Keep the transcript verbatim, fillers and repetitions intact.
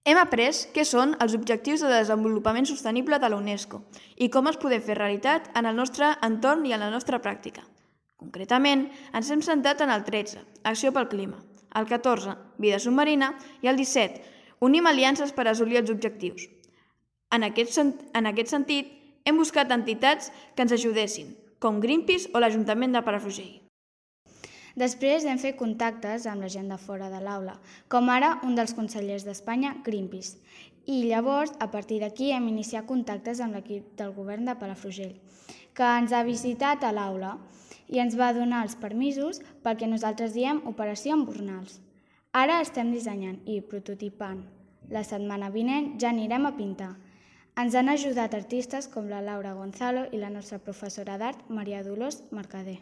Hem après què són els Objectius de Desenvolupament Sostenible de la UNESCO i com els podem fer realitat en el nostre entorn i en la nostra pràctica. Concretament, ens hem centrat en el tretze, Acció pel Clima, el catorze, Vida submarina, i el disset, Unim aliances per assolir els objectius. En aquest, en aquest sentit, hem buscat entitats que ens ajudessin, com Greenpeace o l'Ajuntament de Palafrugell. Després hem fet contactes amb la gent de fora de l'aula, com ara un dels consellers d'Espanya, Greenpeace. I llavors, a partir d'aquí, hem iniciat contactes amb l'equip del govern de Palafrugell, que ens ha visitat a l'aula i ens va donar els permisos pel que nosaltres diem Operació Embornals. Ara estem dissenyant i prototipant. La setmana vinent ja anirem a pintar. Ens han ajudat artistes com la Laura Gonzalo i la nostra professora d'art, Maria Dolors Mercader.